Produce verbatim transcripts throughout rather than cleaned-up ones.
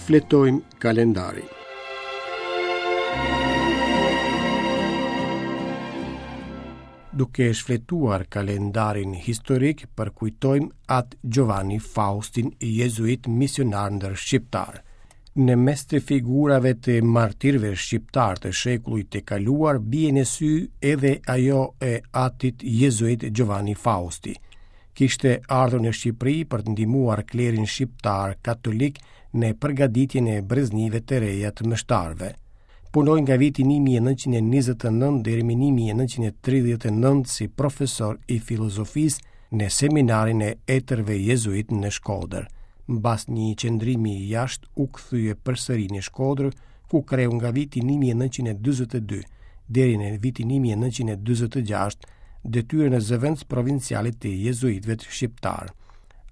Shfletojmë kalendarin. Duke shfletuar kalendarin historik, përkujtojmë At Giovanni Faustin, jezuit misionar ndër shqiptarë. Në mes të figurave të martirëve shqiptarë të shekullit të kaluar bie në sy edhe ajo e atit jezuit Giovanni Fausti. Kishte ardhur në Shqipëri për të ndihmuar klerin shqiptar katolik në përgatitjen e breznive të reja të meshtarëve. Punoi nga viti një mijë e nëntëqind e njëzet e nëntë deri më një mijë e nëntëqind e tridhjetë e nëntë si profesor i filozofisë në seminarin e etërve jezuit në Shkodër. Mbas një qëndrimi jashtë u kthye përsëri në Shkodër, ku kreu nga viti një mijë e nëntëqind e dyzet e dy deri në vitin një mijë e nëntëqind e dyzet e gjashtë detyrën e zëvendës provincialit të jezuitëve shqiptar.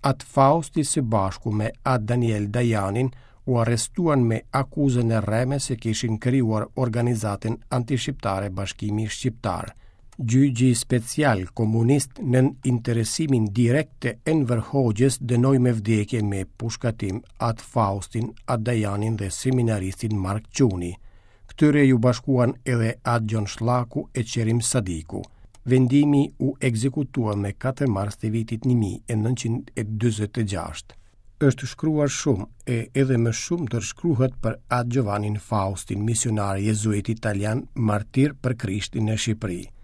At Fausti së bashku me At Daniel Dajanin u arrestuan me akuzën e rreme se kishin krijuar organizatën antishqiptare Bashkimi Shqiptar. Gjyqi special komunist nën interesimin direkt të Enver Hoxhës dënoi me vdekje me pushkatim At Faustin, At Dajanin dhe seminaristin Mark Çuni. Këtyre ju bashkuan edhe At Gjon Shllaku e Qerim Sadiku. Vendimi u ekzekutua me katër mars të vitit një mijë e nëntëqind e dyzet e gjashtë. Është shkruar shumë e edhe më shumë do të shkruhet për At Giovanni Faustin, misionar jezuit italian, martir për Krishtin në Shqipëri.